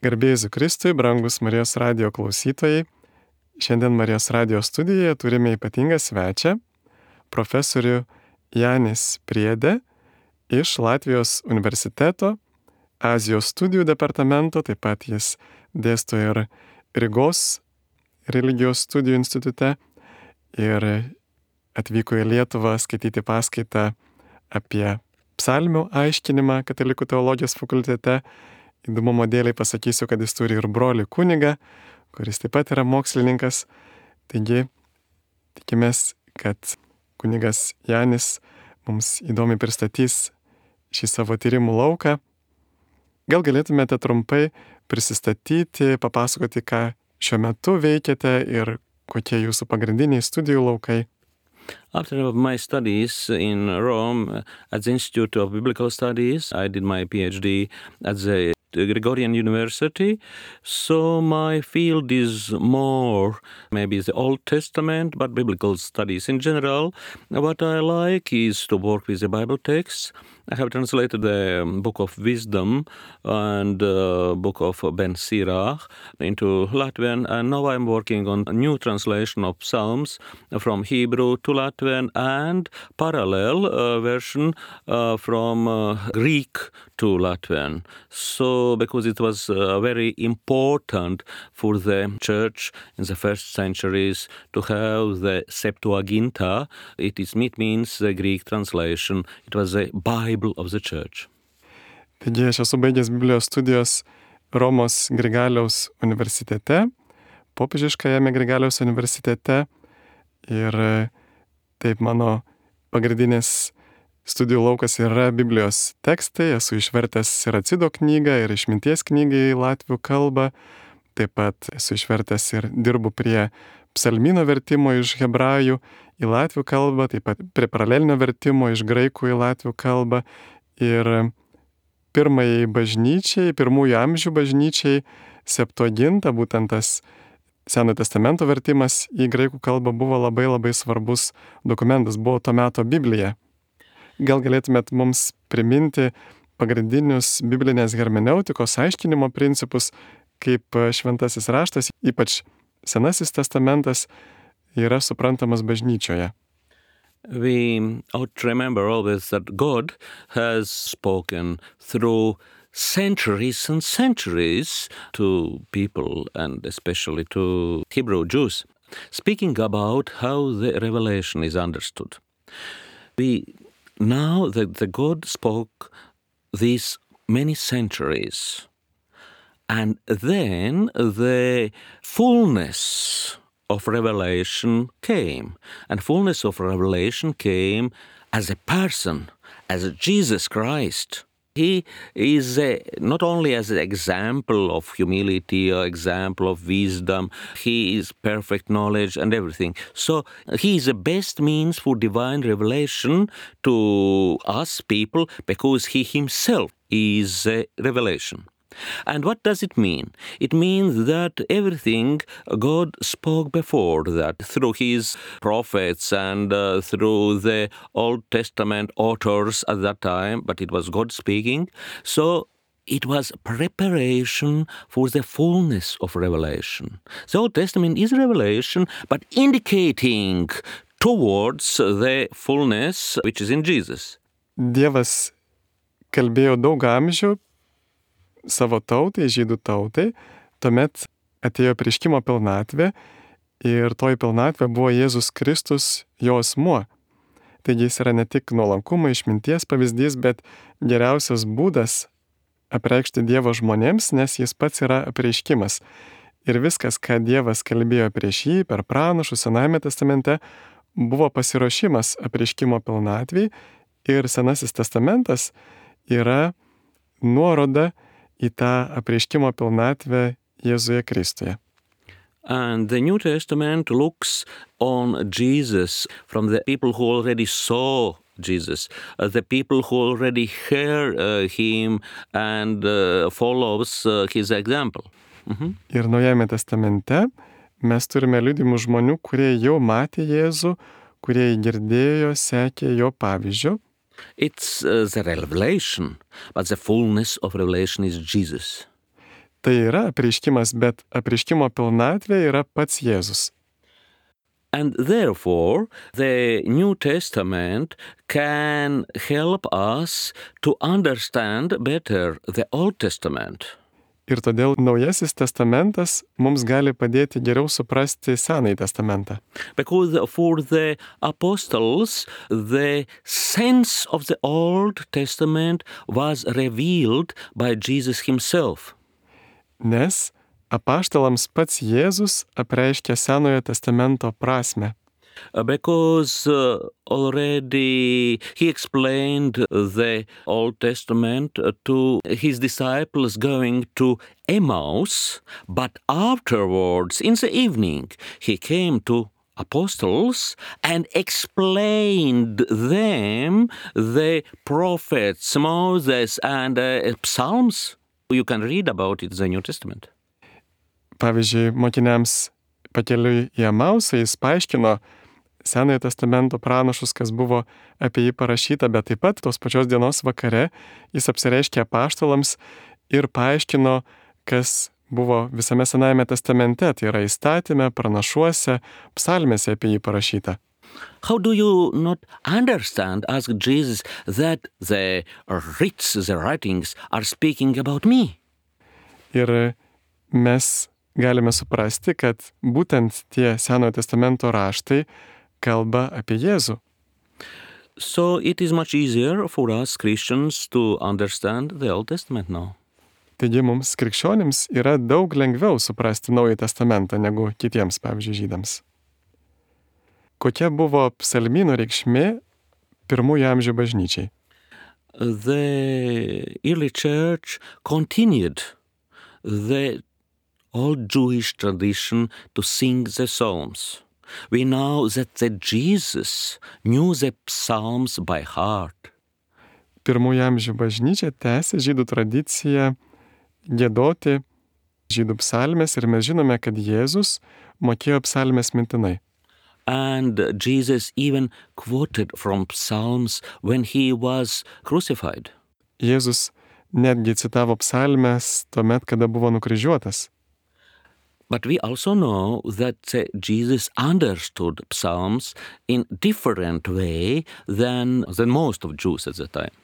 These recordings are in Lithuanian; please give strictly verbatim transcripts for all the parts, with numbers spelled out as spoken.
Garbėjai Jėzui Kristui, brangus Marijos radijo klausytojai. Šiandien Marijos radijo studijoje turime ypatingą svečią, profesorių Janis Priedė iš Latvijos universiteto, Azijos studijų departamento, taip pat jis dėsto ir Rygos religijos studijų institute ir atvyko į Lietuvą skaityti paskaitą apie psalmių aiškinimą Katalikų teologijos fakultete. Įdomumo dėliai pasakysiu, kad jis turi ir brolį kunigą, kuris taip pat yra mokslininkas. Taigi, tikimės, kad kunigas Janis mums įdomiai pristatys šį savo tyrimų lauką. Gal galėtumėte trumpai prisistatyti, papasakoti, ką šiuo metu veikiate ir kokie jūsų pagrindiniai studijų laukai? After my studies in Rome at the Institute of Biblical Studies, I did my PhD at the Gregorian University. So my field is more maybe the Old Testament, but biblical studies in general. What I like is to work with the Bible texts. I have translated the Book of Wisdom and the Book of Ben Sirach into Latvian, and now I'm working on a new translation of Psalms from Hebrew to Latvian and parallel uh, version uh, from uh, Greek to Latvian. So because it was uh, very important for the church in the first centuries to have the Septuaginta, it is it means the Greek translation. It was the Bible of the church. Taigi aš esu baigęs Biblijos studijos Romos Grigaliaus universitete, popiežiškajame Grigaliaus universitete, ir taip mano pagrindinis studijų laukas yra Biblijos tekstai. Esu išvertęs Siracido knygą ir Išminties knygą į latvių kalbą. Taip pat esu išvertęs ir dirbu prie psalmyno vertimo iš hebrajų į latvių kalbą, taip pat prie paralelinio vertimo iš graikų į latvių kalbą. Ir pirmajai bažnyčiai, pirmųjų amžių bažnyčiai Septuaginta, būtent tas Senojo testamento vertimas į graikų kalbą, buvo labai labai svarbus dokumentas, buvo to meto Biblija. Gal galėtumėt mums priminti pagrindinius biblinės hermeneutikos aiškinimo principus, kaip šventasis raštas, ypač Senasis testamentas, yra suprantamas bažnyčioje? We ought to remember always that God has spoken through centuries and centuries to people, and especially to Hebrew Jews, speaking about how the revelation is understood. We Now that the God spoke these many centuries, and then the fullness of revelation came. And fullness of revelation came as a person, as Jesus Christ. He is a, not only as an example of humility or example of wisdom, he is perfect knowledge and everything. So he is the best means for divine revelation to us people because he himself is a revelation. And what does it mean? It means that everything God spoke before that through his prophets and uh, through the Old Testament authors at that time, but it was God speaking. So it was preparation for the fullness of revelation. The Old Testament is revelation, but indicating towards the fullness which is in Jesus. Dievas kalbėjo daug amžių savo tautai, žydų tautai, tuomet atėjo apreiškimo pilnatvė ir toji pilnatvė buvo Jėzus Kristus, jo asmuo. Taigi jis yra ne tik nuolankumo, išminties pavyzdys, bet geriausias būdas apreikšti Dievo žmonėms, nes jis pats yra apreiškimas. Ir viskas, ką Dievas kalbėjo prieš jį per pranašus Senajame testamente, buvo pasiruošimas apreiškimo pilnatvei, ir Senasis testamentas yra nuoroda į tą apreiškimo pilnatvę Jėzuje Kristuje. And the New Testament looks on Jesus from the people who already saw Jesus, uh, the people who already heard uh, him and uh, follows uh, his example. Mm-hmm. Ir Naujajame testamente mes turime liudijimų žmonių, kurie jau matė Jėzų, kurie girdėjo, sekė jo pavyzdžiu. It's uh, the revelation, but the fullness of revelation is Jesus. tai yra apreiškimas, bet apreiškimo pilnatvė yra pats Jėzus. And therefore, the New Testament can help us to understand better the Old Testament. Ir todėl Naujasis testamentas mums gali padėti geriau suprasti Senąjį testamentą. Because for the apostles, the sense of the Old Testament was revealed by Jesus himself. Nes apaštalams pats Jėzus apreiškė Senojo testamento prasmę. Uh, Because uh, already he explained the Old Testament uh, to his disciples going to Emmaus, but afterwards, in the evening, he came to apostles and explained them the prophets, Moses and uh, Psalms. You can read about it in the New Testament. Pavyzdžiui, mokiniams pakeliui į Emausą jis paaiškino Senojo testamento pranašus, kas buvo apie jį parašyta, bet taip pat tos pačios dienos vakare jis apsireiškė apaštalams ir paaiškino, kas buvo visame Senajame testamente, tai yra įstatyme, pranašuose, psalmėse apie jį parašyta. How do you not understand, asked Jesus, that the writs, the writings are speaking about me? Ir mes galime suprasti, kad būtent tie Senojo testamento raštai kalba apie Jėzų. So it is much easier for us Christians to understand the Old Testament now. Taigi mums krikščionims yra daug lengviau suprasti Naująjį testamentą negu kitiems, pavyzdžiui, žydams. Kokia buvo psalmynų reikšmė pirmųjų amžių bažnyčiai? The early church continued the old Jewish tradition to sing the Psalms. We know that the Jesus knew the Psalms by heart. Pirmųjų amžių bažnyčia tęsė žydų tradiciją giedoti žydų psalmes ir mes žinome, kad Jėzus mokėjo psalmes mintinai. And Jesus even quoted from Psalms when he was crucified. Jėzus netgi citavo psalmes tuomet, kada buvo nukryžiuotas. But we also know that uh, Jesus understood Psalms in different way than, than most of Jews at the time.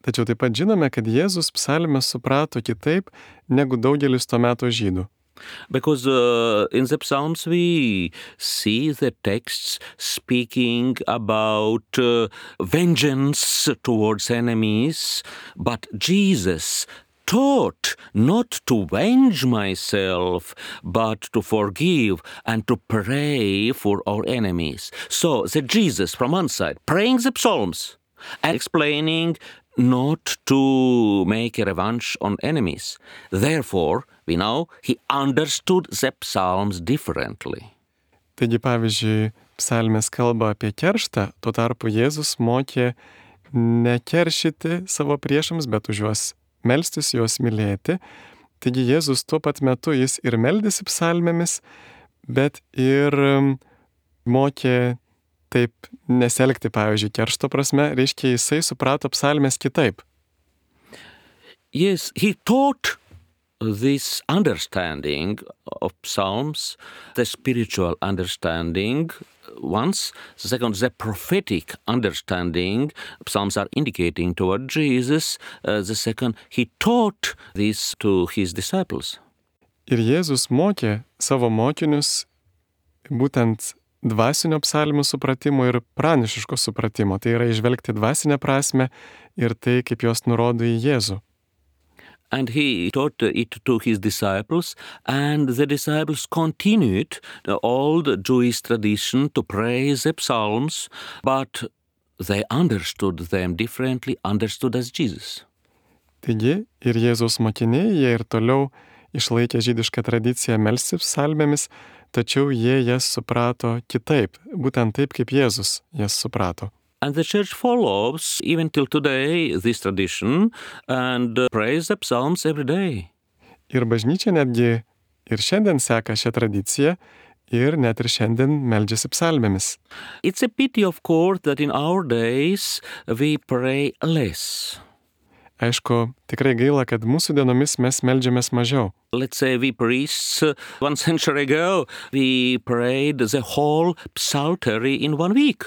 Tačiau taip pat žinome, kad Jėzus psalmes suprato kitaip negu daugelis to meto žydų. Because uh, in the Psalms we see the texts speaking about uh, vengeance towards enemies, but Jesus taught not to avenge myself, but to forgive and to pray for our enemies. So the Jesus from one side praying the Psalms and explaining not to make a revenge on enemies. Therefore, we know he understood the Psalms differently. Taigi, pavyzdžiui, psalmės kalba apie kerštą, tuo tarpu Jėzus mokė nekeršyti savo priešams, bet už juos melstis, juos mylėti. Taigi Jėzus tuo pat metu jis ir meldėsi psalmėmis, bet ir mokė taip neselgti, pavyzdžiui, keršto prasme, reiškia, jisai suprato psalmės kitaip. Yes, he taught this understanding of Psalms, the spiritual understanding once. The second, the prophetic understanding. Psalms are indicating toward Jesus. Uh, the second, he taught this to his disciples. Ir Jėzus mokė savo mokinius būtent dvasinio psalmių supratimo ir pranašiško supratimo. Tai yra įžvelgti dvasinę prasmę ir tai, kaip jos nurodo į Jėzų. And he taught it to his disciples, and the disciples continued the old Jewish tradition to praise the Psalms, but they understood them differently, understood as Jesus. Taigi ir Jėzaus mokiniai, jie ir toliau išlaikė žydišką tradiciją melstis psalmėmis, tačiau jie jas suprato kitaip, būtent taip, kaip Jėzus jas suprato. And the church follows, even till today, this tradition and uh, prays the Psalms every day. Ir bažnyčia netgi ir šiandien seka šią tradiciją ir net ir šiandien meldžiasi psalmėmis. It's a pity, of course, that in our days we pray less. Aišku, tikrai gaila, kad mūsų dienomis mes meldžiamės mažiau. Let's say we priests, uh, one century ago, we prayed the whole psaltery in one week.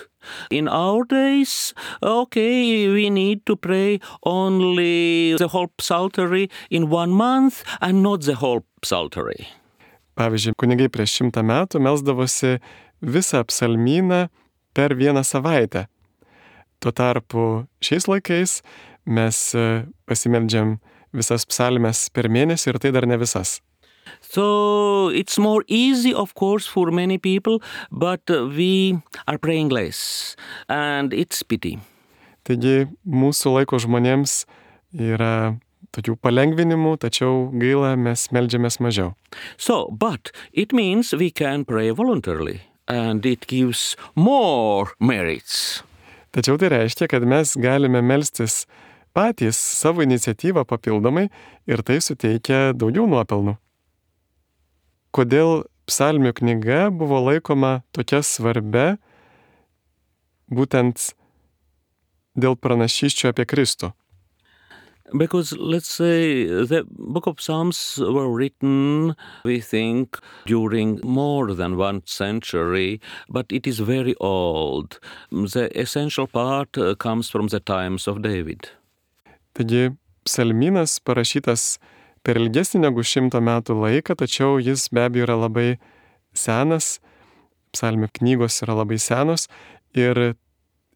In our days, okay, we need to pray only the whole psaltery in one month and not the whole psaltery. Pavyzdžiui, kunigai prieš šimtą metų melsdavosi visą psalmyną per vieną savaitę. Tuo tarpu šiais laikais mes pasimeldžiam visas psalmes per mėnesį ir tai dar ne visas. So it's more easy, of course, for many people, but we are praying less, and it's pity. Taigi mūsų laiko žmonėms yra tokių palengvinimų, tačiau gaila, mes meldžiamės mažiau. So, but it means we can pray voluntarily, and it gives more merits. Tačiau tai reiškia, kad mes galime melstis patys savo iniciatyvą papildomai ir tai suteikia daugiau nuopelnų. Kodėl psalmių knyga buvo laikoma tokia svarbia būtent dėl pranašysčių apie Kristų? Because, let's say, the book of Psalms were written, we think, during more than one century, but it is very old. The essential part uh, comes from the times of David. Taigi, psalmynas parašytas per ilgesnį negu šimto metų laiką, tačiau jis be abejo yra labai senas, psalmių knygos yra labai senos ir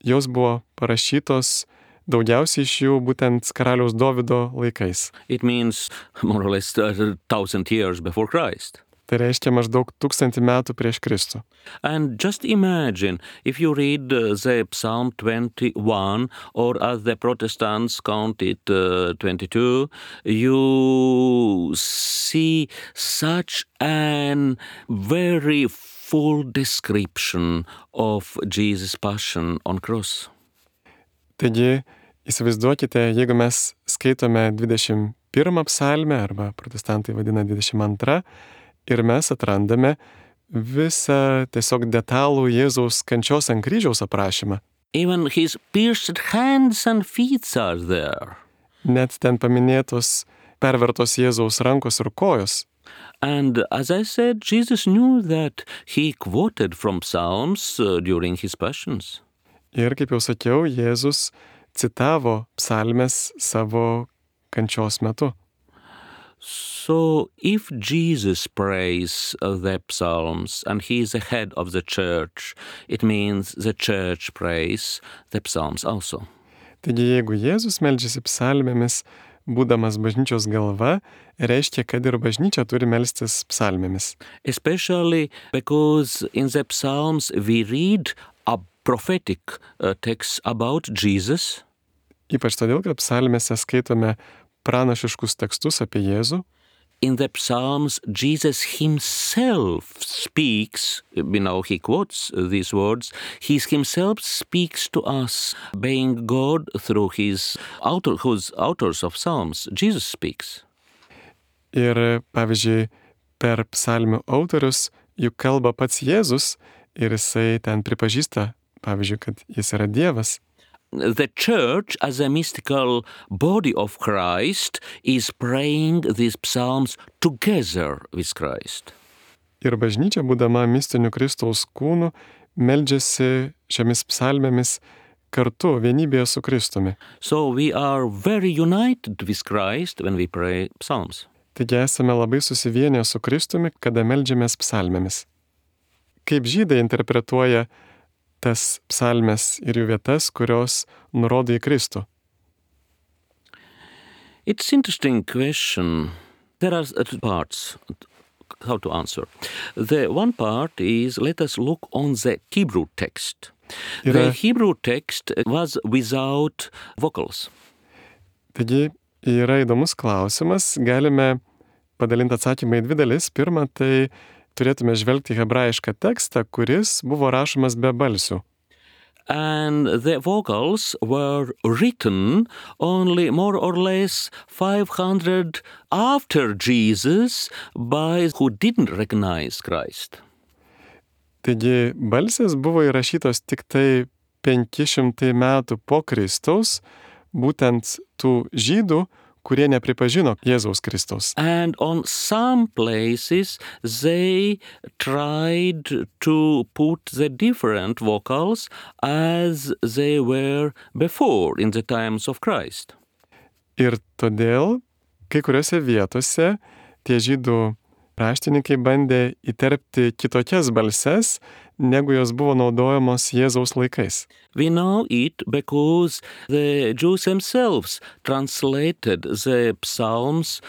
jos buvo parašytos daugiausiai iš jų būtent karaliaus Dovydo laikais. It means more or less a thousand years before Christ. Tai reiškia maždaug tūkstantį metų prieš Kristų. And just imagine, if you read uh, the Psalm twenty-one, or as the Protestants count it uh, twenty-two, you see such an very full description of Jesus' passion on cross. Taigi, įsivaizduokite, jeigu mes skaitome dvidešimt pirmą psalmę, arba protestantai vadina dvidešimt antrą, ir mes atrandame visą tiesiog detalų Jėzaus kančios ant kryžiaus aprašymą. Even his pierced hands and feet are there. Net ten paminėtos pervertos Jėzaus rankos ir kojos. And as I said, Jesus knew that he quoted from Psalms uh, during his passions. Ir kaip jau sakiau, Jėzus citavo psalmes savo kančios metu. So if Jesus prays uh, the Psalms and he is the head of the church, it means the church prays the Psalms also. Taigi jeigu Jėzus meldžiasi psalmėmis, būdamas bažnyčios galva, reiškia, kad ir bažnyčia turi melstis psalmėmis. Especially because in the Psalms we read a prophetic uh, text about Jesus. Ypač todėl, kad psalmėse skaitome pranašiškus tekstus apie Jėzų. In the Psalms, Jesus himself speaks, you know, he quotes these words, he himself speaks to us, being God through his author, whose authors of Psalms, Jesus speaks. Ir, pavyzdžiui, per psalmių autorius juk kalba pats Jėzus ir jisai ten pripažįsta, pavyzdžiui, kad jis yra Dievas. The church, as a mystical body of Christ, is praying these psalms together with Christ. Ir bažnyčia, būdama mistiniu Kristaus kūnu, meldžiasi šiomis psalmėmis kartu, vienybėje su Kristumi. So we are very united with Christ when we pray psalms. Taigi esame labai susivienę su Kristumi, kada meldžiamės psalmėmis. Kaip žydai interpretuoja tas psalmes ir jų vietas, kurios nurodo į Kristų? It's interesting question. There are two parts how to answer. The one part is, let us look on the Hebrew text. Yra, the Hebrew text was without vocals. Taigi yra įdomus klausimas, galime padalinti atsakymą į dvi dalis. Pirma, tai turėtume žvelgti hebrajišką tekstą, kuris buvo rašomas be balsių. And the vocals were written only more or less five hundred after Jesus by who didn't recognize Christ. Taigi balsės buvo įrašytos tik tai penki šimtai metų po Kristaus, būtent tų žydų, kurie nepripažino Jėzaus Kristaus. And on some places they tried to put the different vocals as they were before in the times of Christ. Ir todėl kai kuriuose vietose tie žydų raštininkai bandė įterpti kitokias balses, negu jos buvo naudojamos Jėzaus laikais. We know it because the Jews themselves translated the Psalms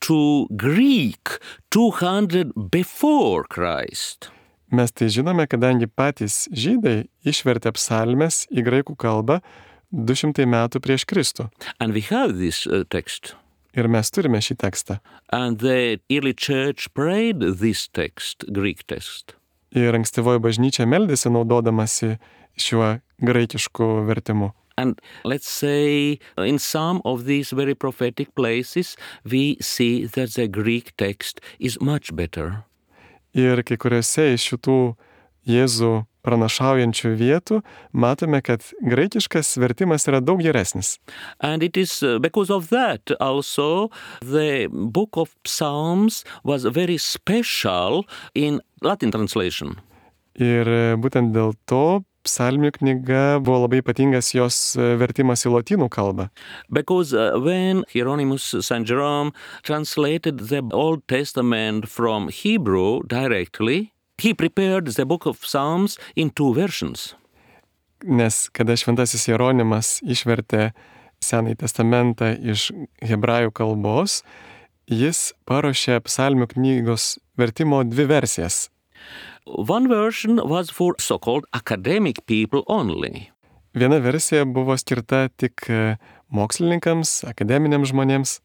to Greek two hundred before Christ. Mes tai žinome, kadangi patys žydai išvertė psalmes į graikų kalbą du šimtai metų prieš Kristų. And we have this uh, text. Ir mes turime šį tekstą. And the early church prayed this text, Greek text. Ir ankstyvoji bažnyčia meldėsi naudodamasi šiuo graikišku vertimu. And let's say in some of these very prophetic places we see that the Greek text is much better. Ir kai kuriuose iš šitų Jėzų pranašaujančių vietų matome, kad graikiškas vertimas yra daug geresnis. And it is because of that also the book of Psalms was very special in Latin translation. Ir būtent dėl to psalmių knyga buvo labai ypatingas jos vertimas į lotynų kalbą. Because uh, when Hieronymus Saint Jerome translated the Old Testament from Hebrew directly, he prepared the book of Psalms in two versions. Nes kada šventasis Jeronimas išvertė Senąjį testamentą iš hebrajų kalbos, jis paruošė psalmių knygos vertimo dvi versijas. One version was for so-called academic people only. Viena versija buvo skirta tik mokslininkams, akademiniams žmonėms.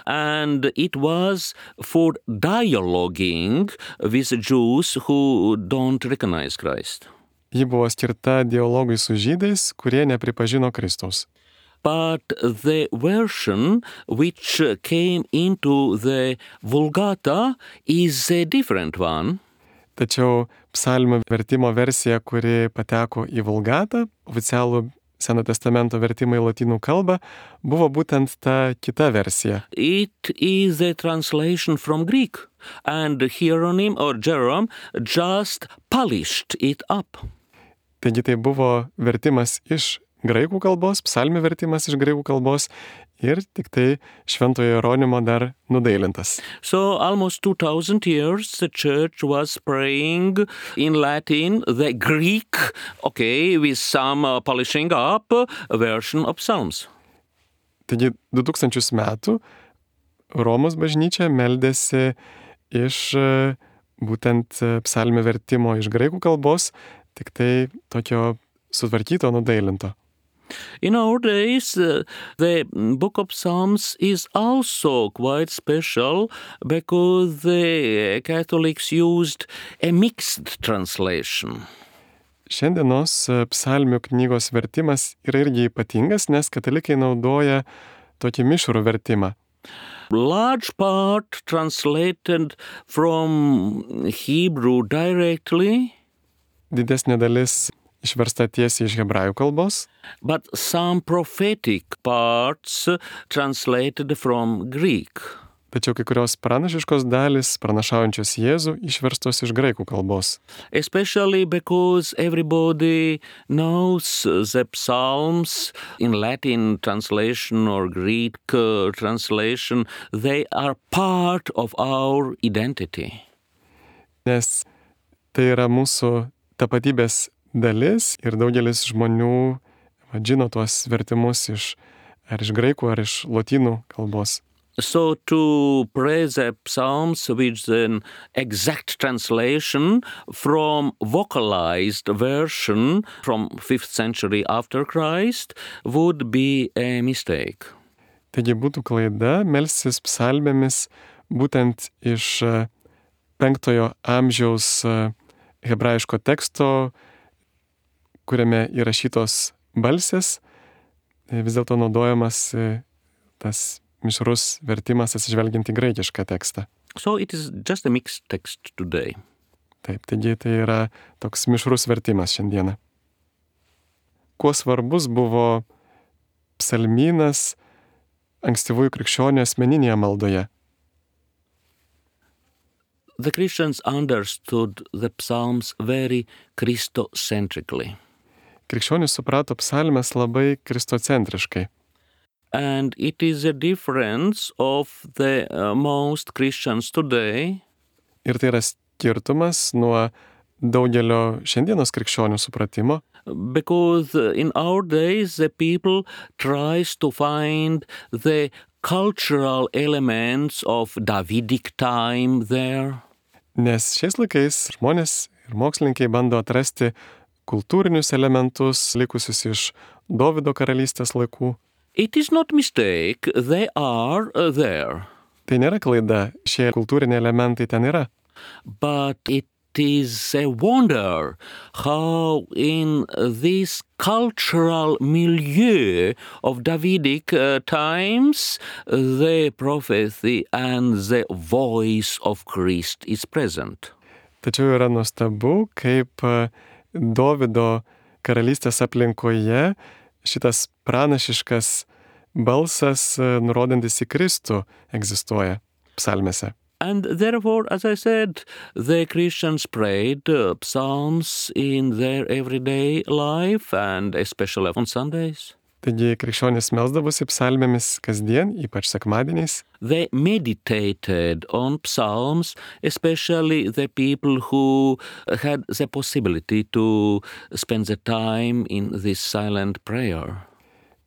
And it was for dialoguing with Jews who don't recognize Christ. Ji buvo skirta dialogui su žydais, kurie nepripažino Kristaus. But the version which came into the Vulgata is a different one. Tačiau psalmių vertimo versija, kuri pateko į Vulgatą, oficialų Seno testamento vertimą į lotynų kalbą, buvo būtent ta kita versija. It is a translation from Greek, and Hieronym or Jerome just polished it up. Taigi tai buvo vertimas iš graikų kalbos, psalmių vertimas iš graikų kalbos ir tik tai šventojo Jeronimo dar nudailintas. So almost two thousand years the church was praying in Latin the Greek, okay, with some uh, polishing up uh, version of Psalms. Taigi du tūkstančius metų Romos bažnyčia meldėsi iš uh, būtent uh, psalmių vertimo iš graikų kalbos, tik tai tokio sutvarkyto, nudailinto. In our days, uh, the book of Psalms is also quite special because the Catholics used a mixed translation. Šiandienos psalmių knygos vertimas yra irgi ypatingas, nes katalikai naudoja tokį mišrų vertimą. Large part translated from Hebrew directly. Didesnė dalis išversta tiesiai iš hebrajų kalbos. But some prophetic parts translated from Greek. Tačiau kai kurios pranašiškos dalys, pranašaujančios Jėzų, išverstos iš graikų kalbos. Especially because everybody knows the Psalms in Latin translation or Greek uh, translation. They are part of our identity. Nes tai yra mūsų tapatybės dalis ir daugelis žmonių žino tuos vertimus iš, ar iš graikų, ar iš lotynų kalbos. So to pray the Psalms with an exact translation from vocalized version from fifth century after Christ would be a mistake. Taigi būtų klaida melstis psalmėmis būtent iš penktojo amžiaus hebrajiško teksto, kuriame įrašytos balsės, vis dėlto naudojamas tas mišrus vertimas atsižvelgiant į graikišką tekstą. So it is just a mixed text today. Taip, taigi tai yra toks mišrus vertimas šiandieną. Kuo svarbus buvo psalmynas ankstyvųjų krikščionių asmeninėje maldoje. The Christians understood the Psalms very Christocentrically. Krikščionys suprato psalmes labai kristocentriškai. And it is a difference of the uh, most Christians today. Ir tai yra skirtumas nuo daugelio šiandienos krikščionių supratimo. Because in our days the people tries to find the cultural elements of Davidic time there. Nes šiais laikais žmonės ir mokslininkai bando atrasti kultūrinius elementus likusius iš Dovydo karalystės laikų. It is not mistake, they are uh, there. Tai nėra klaida, šie kultūriniai elementai ten yra. But it is a wonder how in this cultural milieu of Davidic uh, times the prophecy and the voice of Christ is present. Tačiau yra nuostabu, kaip Dovydo karalystės aplinkoje šitas pranašiškas balsas, nurodantis į Kristų, egzistuoja psalmėse. And therefore, as I said, the Christians prayed uh, psalms in their everyday life and especially on Sundays. Taigi krikščionys melsdavosi psalmėmis kasdien, ypač sekmadieniais. They meditated on psalms, especially the people who had the possibility to spend the time in this silent prayer.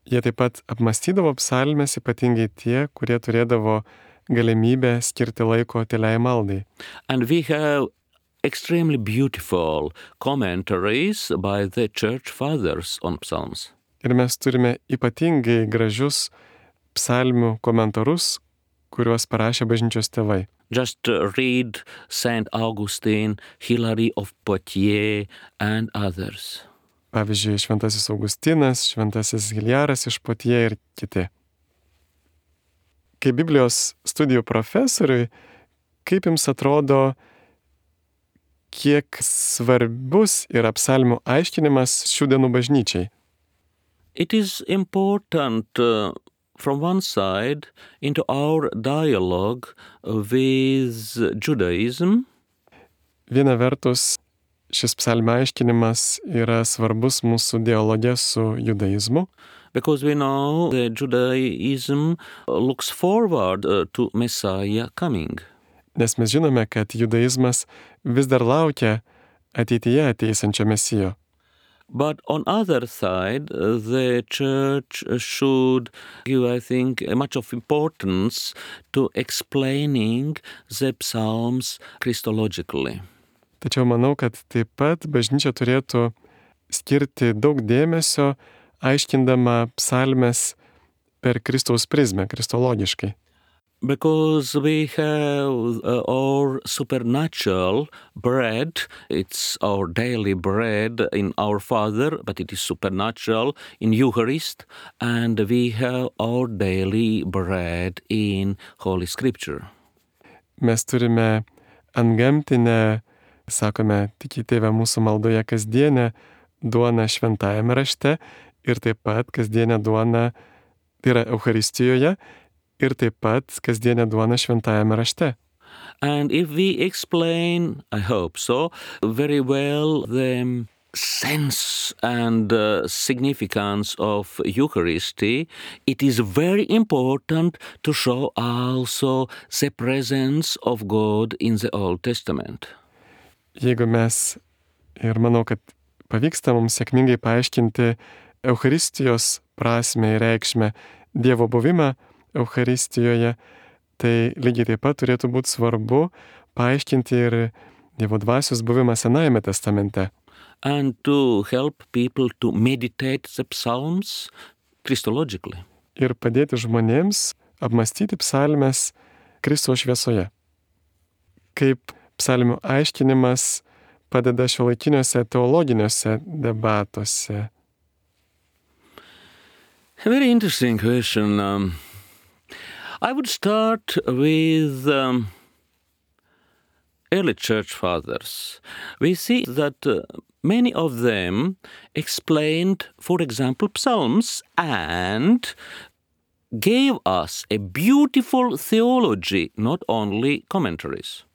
Jie taip pat apmąstydavo psalmes, ypatingai tie, kurie turėdavo galimybę skirti laiko tyliai maldai. And we have extremely beautiful commentaries by the church fathers on psalms. Ir mes turime ypatingai gražius psalmių komentarus, kuriuos parašė bažnyčios tėvai. Just read Saint Augustine, Hilary of Poitiers and others. Pavyzdžiui, šventasis Augustinas, šventasis Hiljaras iš Poitiers ir kiti. Kaip Biblijos studijų profesoriui, kaip jums atrodo, kiek svarbus yra psalmių aiškinimas šių dienų bažnyčiai? It is important uh, from one side into our dialogue with Judaism. Viena vertus, šis psalmių aiškinimas yra svarbus mūsų dialoge su judaizmu. Because we know that Judaism looks forward uh, to Messiah coming. Nes mes žinome, kad judaizmas vis dar laukia ateityje ateisančio Mesijo. But on other side, uh, the church should give, I think, much of importance to explaining the psalms Christologically. Tačiau manau, kad taip pat bažnyčia turėtų skirti daug dėmesio aiškindama psalmes per Kristaus prizmę, kristologiškai. Because we have uh, our supernatural bread, it's our daily bread in our Father, but it is supernatural in Eucharist, and we have our daily bread in Holy Scripture. Mes turime antgamtinę, sakome, tik į tėvę mūsų maldoje kasdienę duoną šventajame rašte ir taip pat kasdienę duoną, tai yra Eucharistijoje, ir taip pat kasdienę duoną šventajame rašte. And if we explain, I hope so, very well the sense and uh, significance of Eucharisty, it is very important to show also the presence of God in the Old Testament. Jeigu mes, ir manau, kad pavyksta mums sėkmingai paaiškinti Eucharistijos prasmę ir reikšmę, Dievo buvimą Eucharistijoje, tai lygiai taip pat turėtų būti svarbu paaiškinti ir Dievo dvasios buvimą Senajame testamente. And to help people to meditate the psalms Christologically. Ir padėti žmonėms apmąstyti psalmes Kristaus šviesoje. Kaip psalmių aiškinimas padeda šiuolaikiniuose teologiniuose debatuose. A very interesting question. Um, I would start with um, early church fathers. We see that uh, many of them explained, for example, Psalms and gave us a beautiful theology, not only commentaries.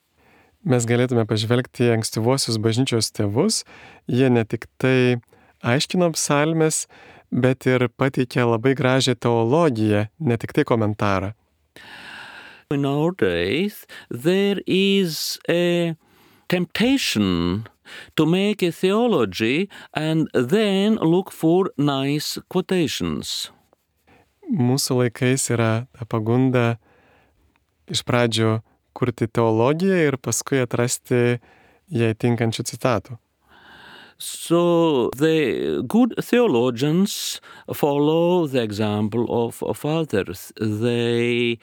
Mes galėtume pažvelgti į ankstyvuosius bažnyčios tėvus, jie ne tik tai aiškino psalmes, bet ir pateikė labai gražią teologiją, ne tik tai komentarą. In our days, there is a temptation to make a theology and then look for nice quotations. Mūsų laikais yra ta pagunda iš pradžių kurti teologiją ir paskui atrasti jai tinkančių citatų. So the good theologians follow the example of, of others. They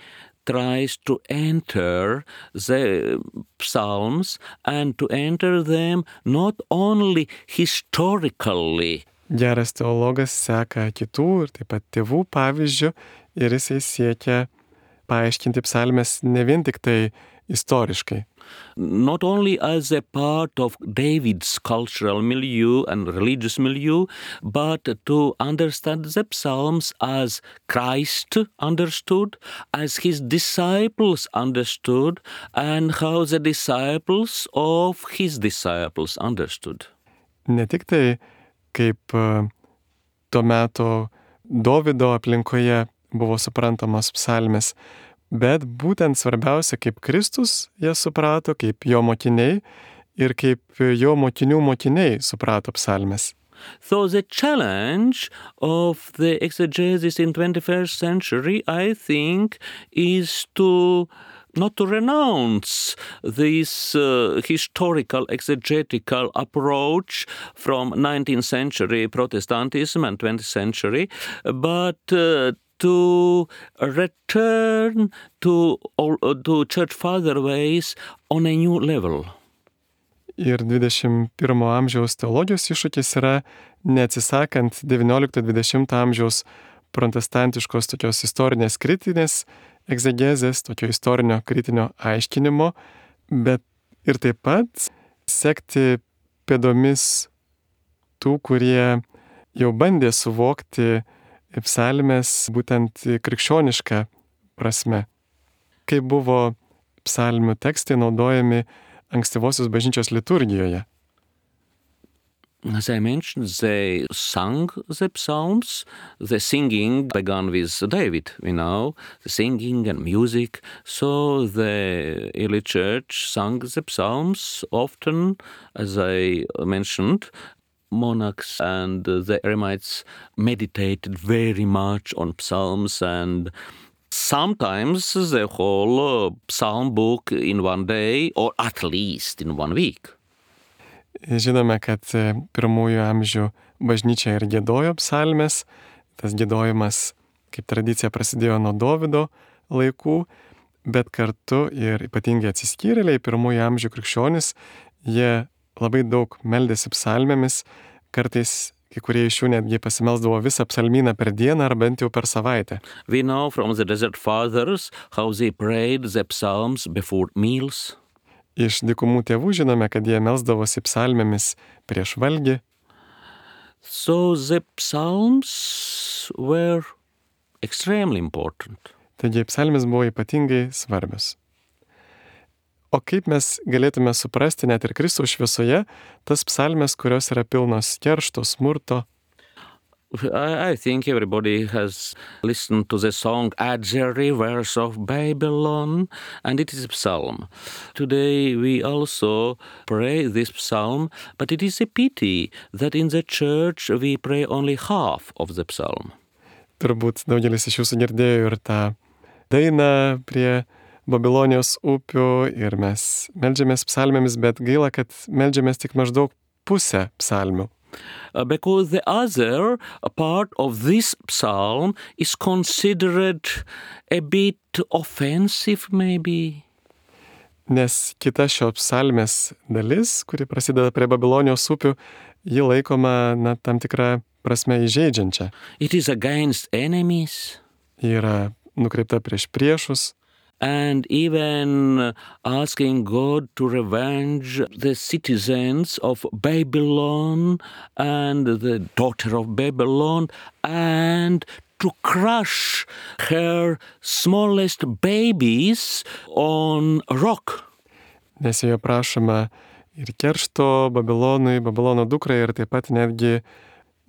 try to enter the psalms and to enter them not only historically. Geras teologas seka kitų ir taip pat tėvų pavyzdžių ir jisai siekia paaiškinti psalmes ne vien tik tai istoriškai. Not only as a part of David's cultural milieu and religious milieu, but to understand the Psalms as Christ understood, as his disciples understood, and how the disciples of his disciples understood. Ne tik tai kaip tuo metu Dovydo aplinkoje buvo suprantamos psalmės, bet būtent svarbiausia, kaip Kristus jas suprato, kaip jo mokiniai ir kaip jo mokinių mokiniai suprato psalmes. So the challenge of the exegesis in twenty-first century, I think, is to not to renounce this uh, historical exegetical approach from nineteenth century Protestantism and twentieth century, but uh, to return to, to church father ways on a new level. Ir dvidešimt pirmo amžiaus teologijos iššūkis yra neatsisakant devyniolikto dvidešimto amžiaus protestantiškos tokios istorinės kritinės egzegezės, tokio istorinio kritinio aiškinimo, bet ir taip pat sekti pėdomis tų, kurie jau bandė suvokti psalmes būtent krikščionišką prasme. Kaip buvo psalmių tekstai naudojami ankstyvosios bažnyčios liturgijoje. As I mentioned, they sang the psalms. The singing began with David, you know, the singing and music. So the early church sang the psalms often, as I mentioned. Monarchs and the eremites meditated very much on psalms, and sometimes the whole psalm book in one day, or at least in one week. Žinome, kad pirmųjų amžių bažnyčia ir giedojo psalmes. Tas giedojimas, kaip tradicija, prasidėjo nuo Dovydo laikų, bet kartu ir ypatingai atsiskyrėliai pirmųjų amžių krikščionys, jie labai daug meldėsi psalmėmis, kartais kai kurie iš jų netgi pasimelsdavo visą psalmyną per dieną ar bent jau per savaitę. We know from the Desert Fathers how they prayed the psalms before meals. Iš dykumų tėvų žinome, kad jie melsdavosi psalmėmis prieš valgį. So the psalms were extremely important. Taigi psalmės buvo ypatingai svarbios. O kaip mes galėtume suprasti net ir Kristaus šviesoje tas psalmes, kurios yra pilnos keršto, smurto? I think everybody has listened to the song At the Rivers of Babylon, and it is a psalm. Today we also pray this psalm, but it is a pity that in the church we pray only half of the psalm. Turbūt daugelis iš jūsų girdėjo ir tą dainą prie Babilonijos upių ir mes meldžiamės psalmėmis, bet gaila, kad meldžiamės tik maždaug pusę psalmių. Uh, because the other part of this psalm is considered a bit offensive, maybe. Nes kita šio psalmės dalis, kuri prasideda prie Babilonijos upių, ji laikoma na, tam tikrą prasme įžeidžiančia. It is against enemies. Ji yra nukreipta prieš priešus. and even asking God to revenge the citizens of Babylon and the daughter of Babylon and to crush her smallest babies on a rock. Nes joje prašoma ir keršto Babilonui, Babilono dukrai ir taip pat netgi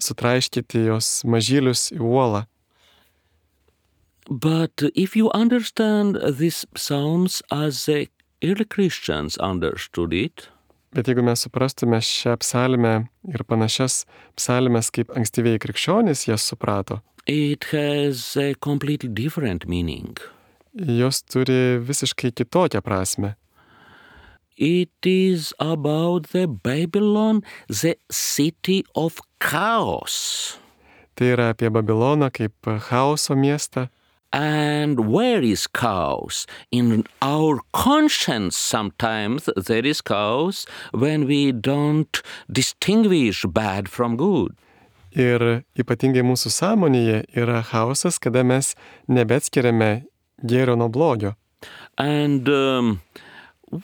sutraiškyti jos mažylius į uolą. But if you understand these psalms as the early Christians understood it, Bet jeigu mes suprastume šią psalmę ir panašias psalmes, kaip ankstyvieji krikščionys jas suprato, it has a completely different meaning. jos turi visiškai kitokią prasme. It is about the Babylon, the city of chaos. Tai yra apie Babiloną kaip chaoso miestą. And where is chaos? In our conscience sometimes there is chaos when we don't distinguish bad from good. Ir ypatingai mūsų sąmonėje yra chaosas, kada mes nebeatskiriame gėrio nuo blogio. And um,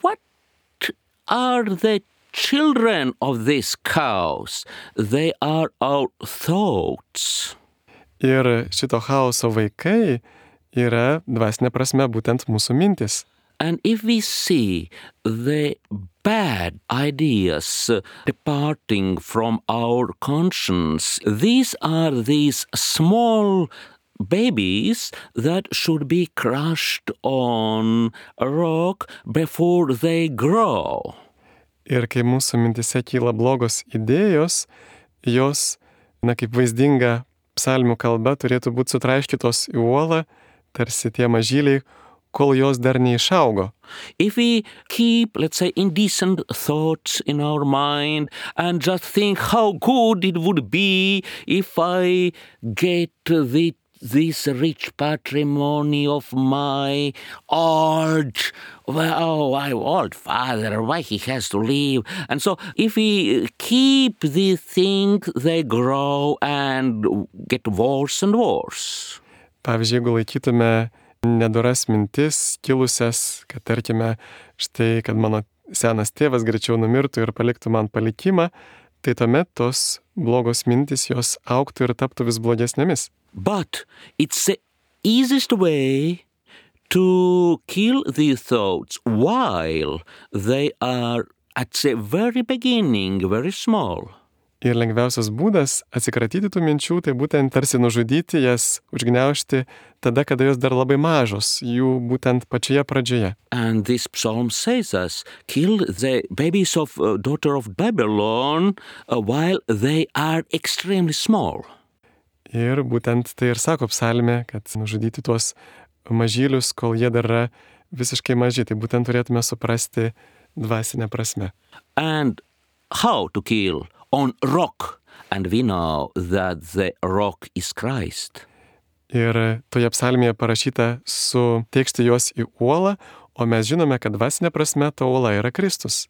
what are the children of this chaos? They are our thoughts. Ir šito chaoso vaikai yra dvasinė prasme būtent mūsų mintis. And if we see the bad ideas departing from our conscience, these are these small babies that should be crushed on a rock before they grow. Ir kai mūsų mintise kyla blogos idėjos, jos, na kaip vaizdinga psalmių kalba, turėtų būti sutraiškytos į uolą, tarsi tie mažyliai, kol jos dar neišaugo. If we keep, let's say, indecent thoughts in our mind and just think how good it would be if I get the this rich patrimony of my old, well, my old father, why he has to leave. And so if we keep these things, they grow and get worse and worse. Pavyzdžiui, jeigu laikytume nedoras mintis kilusias, kad tarkime, štai, kad mano senas tėvas greičiau numirtų ir paliktų man palikimą, tai tuomet tos blogos mintis jos augtų ir taptų vis blogesnėmis. But it's the easiest way to kill these thoughts while they are at the very beginning, very small. Ir lengviausias būdas atsikratyti tų minčių, tai būtent tarsi nužudyti jas, užgniaužti tada, kada jos dar labai mažos, jų būtent pačioje pradžioje. And this psalm says us, kill the babies of uh, daughter of Babylon uh, while they are extremely small. Ir būtent tai ir sako psalmė, kad nužudyti tuos mažylius, kol jie dar yra visiškai maži. Tai būtent turėtume suprasti dvasinę prasme. And how to kill? On rock. And we know that the rock is Christ. Ir toje psalmėje parašyta suteikšti juos į uolą, o mes žinome, kad dvasinė prasme ta uola yra Kristus.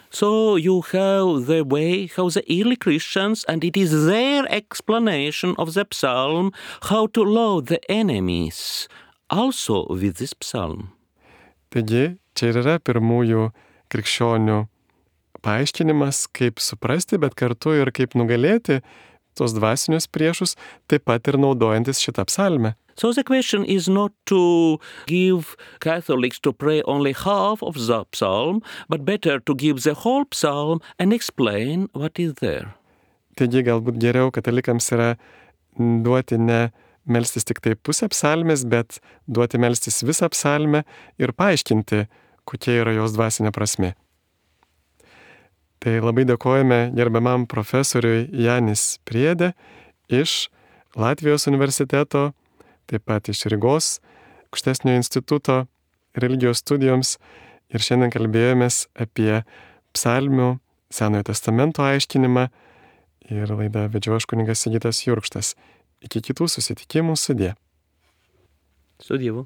So you have the way how the early Christians, and it is their explanation of the psalm, how to love the enemies, also with this psalm. Taigi, čia ir yra pirmųjų krikščionių paaiškinimas, kaip suprasti, bet kartu ir kaip nugalėti tos dvasinius priešus, taip pat ir naudojantis šitą psalmę. So the question is not to give Catholics to pray only half of the psalm, but better to give the whole psalm and explain what is there. Taigi galbūt geriau katalikams yra duoti ne melstis tik tai pusę psalmės, bet duoti melstis visą psalmę ir paaiškinti, kokia yra jos dvasinė prasmė. Tai labai dėkojame gerbiamam profesoriui Janis Priedė iš Latvijos universiteto, taip pat iš Rygos aukštesnio instituto religijos studijoms, ir šiandien kalbėjomės apie psalmių Senojo testamento aiškinimą, ir laidą vedžiau aš kunigas Sigitas Jurkštas. Iki kitų susitikimų, sudie. Su Dievu.